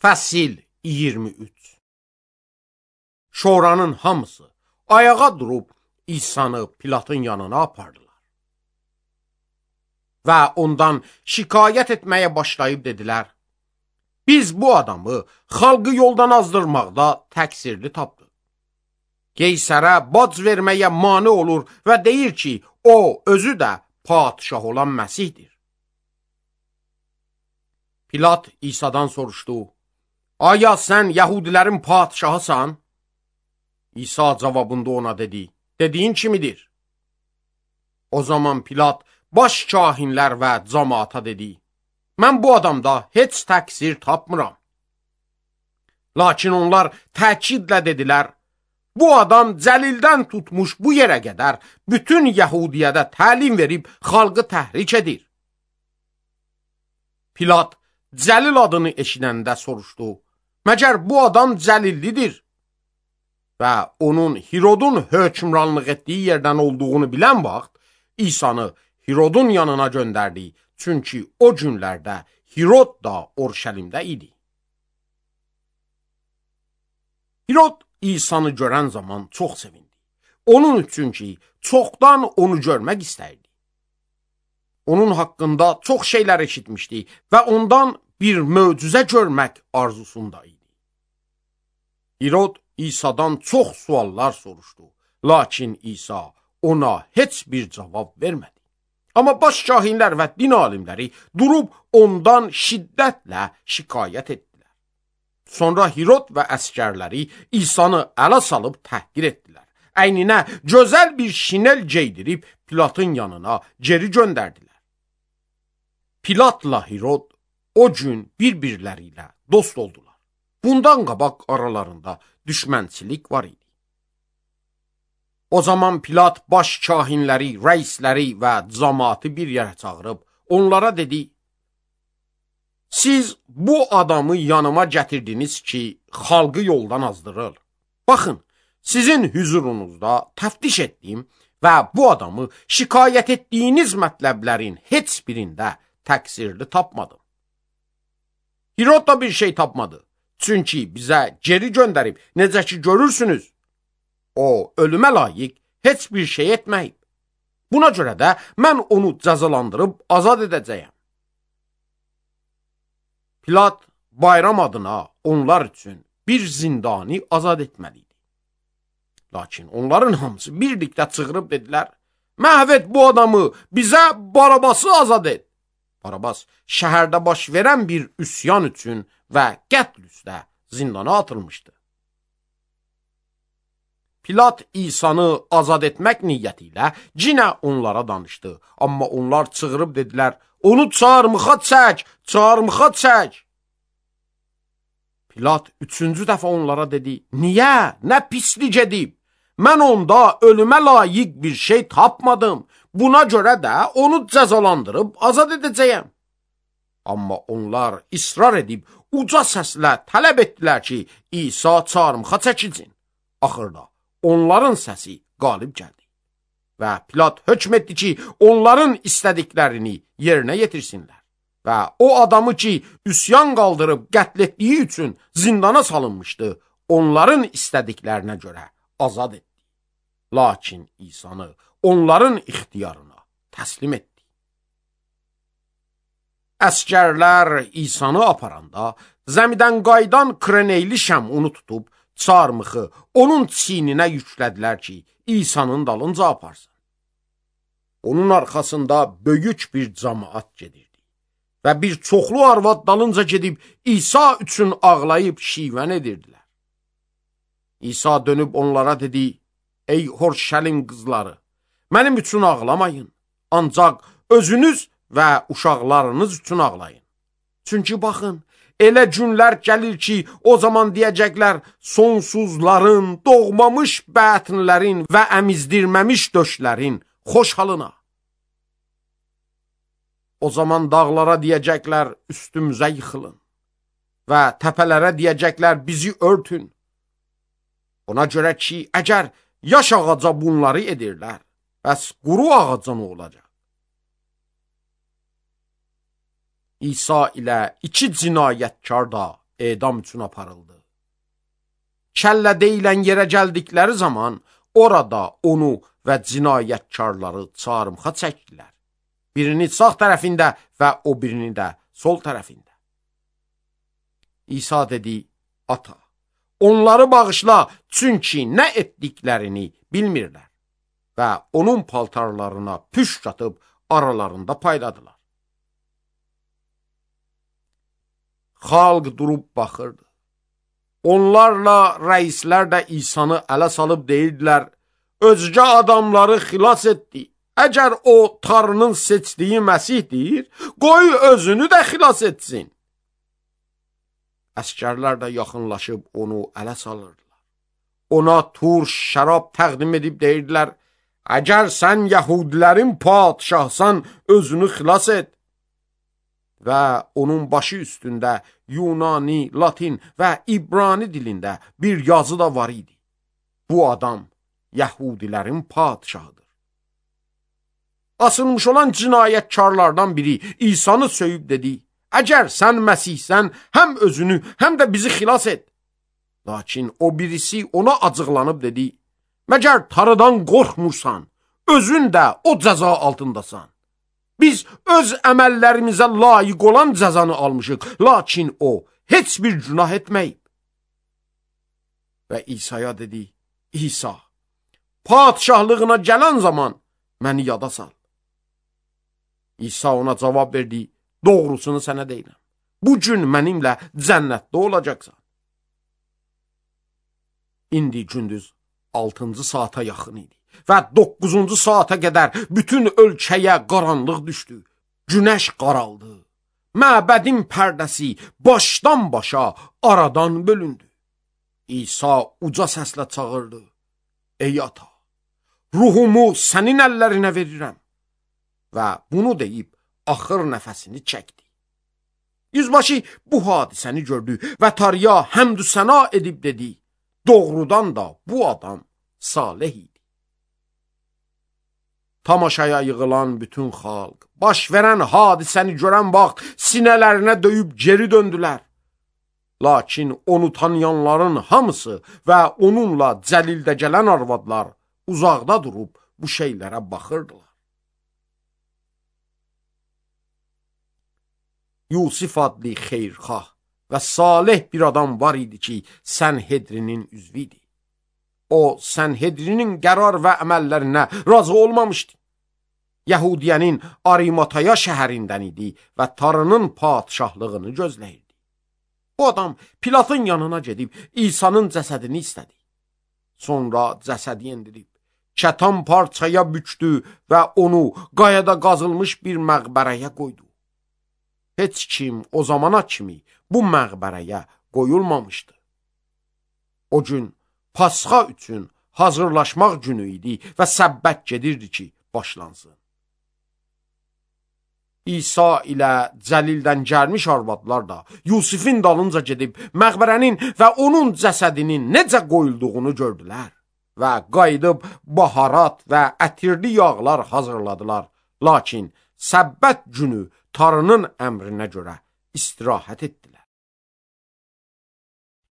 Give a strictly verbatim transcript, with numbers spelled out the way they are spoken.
Fəsil iyirmi üç. Şoranın hamısı ayağa durub İsa'nı Pilatın yanına apardılar. Və ondan şikayət etməyə başlayıb dedilər: Biz bu adamı xalqı yoldan azdırmaqda təqsirli tapdıq. Qeysərə bac verməyə mane olur və deyir ki, o özü də padişah olan Məsihdir. Pilat İsa'dan soruşdu: Aya sən Yahudilərin padişahısan? İsa cavabında ona dedi: Dediyin kimidir? O zaman Pilat baş kahinlər və cəmaata dedi: Mən bu adamda heç təqsir tapmıram. Lakin onlar təkidlə dedilər: Bu adam Cəlildən tutmuş bu yerə qədər bütün Yəhudiyyədə təlim verib xalqı təhrik edir. Pilat Cəlil adını eşidəndə soruşdu: Məgər bu adam Cəlillidir? Və onun Hirodun hökmranlıq etdiyi yerdən olduğunu bilən vaxt İsa'nı Hirodun yanına göndərdi. Çünki o günlərdə Hirod da Orşəlimdə idi. Hirod İsa'nı görən zaman çox sevindi. Onun üçün ki, çoxdan onu görmək istəyirdi. Onun haqqında çox şeylər eşitmişdi və ondan bir möcüzə görmək arzusunda idi. Hirod İsa'dan çox suallar soruşdu. Lakin İsa ona heç bir cavab vermədi. Amma baş kahinlər və din alimləri durub ondan şiddətlə şikayət etdilər. Sonra Hirod və əskərləri İsa'nı ələ salıb təhqir etdilər. Əyninə gözəl bir şinel geydirib Pilatın yanına geri göndərdilər. Pilatla Hirod o gün bir-birləri ilə dost oldular. Bundan qabaq aralarında düşmənçilik var idi. O zaman Pilat baş kahinləri, rəisləri və cəmaatı bir yerə çağırıb onlara dedi: Siz bu adamı yanıma gətirdiniz ki, xalqı yoldan azdırır. Baxın, sizin hüzurunuzda təftiş etdim və bu adamı şikayət etdiyiniz mətləblərin heç birində təqsirli tapmadım. Hirod da bir şey tapmadı. Çünki bizə geri göndərib, necə ki görürsünüz, o ölümə layiq heç bir şey etməyib. Buna görə də mən onu cəzalandırıb azad edəcəyəm. Pilat bayram adına onlar üçün bir zindani azad etməliydi. Lakin onların hamısı birlikdə çığırıb dedilər: Məhv et bu adamı, bizə Barabası azad et. Barabas şəhərdə baş verən bir üsyan üçün və qətl üstə zindana atılmışdı. Pilat İsa'nı azad etmək niyyəti ilə cinə onlara danışdı. Amma onlar çığırıb dedilər: Onu çarmıxa çək, çarmıxa çək. Pilat üçüncü dəfə onlara dedi: Niyə? Nə pislik edib? Mən onda ölümə layiq bir şey tapmadım. Buna görə də onu cəzalandırıb azad edəcəyəm. Amma onlar israr edib uca səslə tələb etdilər ki, İsa çarmıxa çəkilsin. Axırda onların səsi qalib gəldi. Və Pilat hökm etdi ki, onların istədiklərini yerinə yetirsinlər. Və o adamı ki, üsyan qaldırıb qətl etdiyi üçün zindana salınmışdı, onların istədiklərinə görə azad etdi. Lakin İsa'nı onların ixtiyarına təslim etdi. Əskərlər İsa'nı aparanda zəmidən qaydan Kreneyli Şəmunu tutub çarmıxı onun çiyninə yüklədilər ki, İsa'nın dalınca aparsın. Onun arxasında böyük bir cəmaat gedirdi və bir çoxlu arvad dalınca gedib İsa üçün ağlayıb şivən edirdilər. İsa dönüb onlara dedi: Ey Orşəlim qızları, mənim üçün ağlamayın, ancaq özünüz və uşaqlarınız üçün ağlayın. Çünki baxın, elə günlər gəlir ki, o zaman deyəcəklər: sonsuzların, doğmamış bətnlərin və əmizdirməmiş döşlərin xoş halına. O zaman dağlara deyəcəklər: üstümüzə yıxılın və təpələrə deyəcəklər: bizi örtün. Ona görə ki, əgər yaş ağaca bunları edirlər, bəs quru ağaca nə olacaq? İsa ilə iki cinayətkar da edam üçün aparıldı. Kəllə deyilən yerə gəldikləri zaman orada onu və cinayətkarları çarmıxa çəkdilər. Birini sağ tərəfində və o birini də sol tərəfində. İsa dedi, ata, onları bağışla, çünki nə etdiklərini bilmirlər. Və onun paltarlarına püşk atıb aralarında payladılar. Xalq durub baxırdı. Onlarla rəislər də İsanı ələ salıb deyirdilər, özgə adamları xilas etdi. Əgər o Tanrının seçdiyi Məsihdir, qoy özünü də xilas etsin. Əskərlər də yaxınlaşıb onu ələ salırdılar. Ona tur, şərab təqdim edib deyirdilər, əgər sən Yəhudilərin padşahsan, özünü xilas et. Və onun başı üstündə Yunani, Latin və İbrani dilində bir yazı da var idi. Bu adam Yəhudilərin padşahıdır. Asılmış olan cinayətkarlardan biri İsanı söyüb dedi, əgər sən Məsihsən, həm özünü, həm də bizi xilas et. Lakin o birisi ona acıqlanıb dedi, məgər Tanrıdan qorxmursan, özün də o cəza altındasan. Biz öz əməllərimizə layiq olan cəzanı almışıq, lakin o heç bir günah etməyib. Və İsa'ya dedi, İsa, padşahlığına gələn zaman məni yada sal. İsa ona cavab verdi, doğrusunu sənə deyirəm. Bu gün mənimlə cənnətdə olacaqsan. İndi gündüz altıncı saata yaxın idi və doqquzuncu saata qədər bütün ölkəyə qaranlıq düşdü. Günəş qaraldı. Məbədin pərdəsi başdan başa aradan bölündü. İsa uca səslə çağırdı. Ey ata, ruhumu sənin əllərinə verirəm. Və bunu deyib axır nəfəsini çəkdi. Yüzbaşı bu hadisəni gördü və Tanrıya həmdü səna edib dedi, doğrudan da bu adam salih idi. Tamaşaya yığılan bütün xalq, baş verən hadisəni görən vaxt sinələrinə döyüb geri döndülər. Lakin onu tanıyanların hamısı və onunla cəlildə gələn arvadlar uzaqda durub bu şeylərə baxırdılar. Yusif adlı xeyrxah və salih bir adam var idi ki, Sənhedrinin üzvü idi. O, Sənhedrinin qərar və əməllərinə razı olmamışdı. Yəhudiyənin Arimataya şəhərindən idi və Tanrının padşahlığını gözləyirdi. Bu adam Pilatın yanına gedib İsa'nın cəsədini istədi. Sonra cəsədi endirib, kətan parçaya bükdü və onu qayada qazılmış bir məqbərəyə qoydu. Heç kim o zamana kimi bu məqbərəyə qoyulmamışdı. O gün Pasxa üçün hazırlaşmaq günü idi və səbbət gedirdi ki, başlansın. İsa ilə cəlildən gəlmiş arvadlar da Yusifin dalınca gedib məqbərənin və onun cəsədinin necə qoyulduğunu gördülər və qayıdıb baharat və ətirli yağlar hazırladılar. Lakin səbbət günü Tanrının əmrinə görə istirahət etdilər.